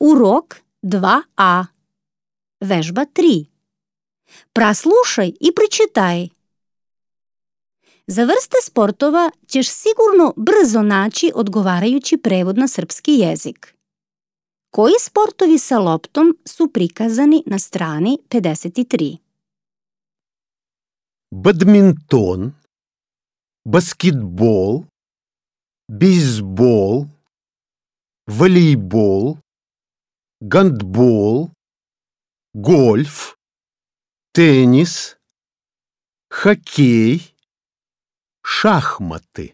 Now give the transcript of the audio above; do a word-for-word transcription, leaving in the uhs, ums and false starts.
Урок два А. Vežba tri. Praslушай i pročitaj. Za vrste sportova ćeš sigurno brzo naći odgovarajući prevod na srpski jezik. Koji sportovi sa loptom su prikazani na strani pedeset tri? Badminton, баскетбол, бейсбол, волейбол, гандбол, гольф, теннис, хоккей, шахматы.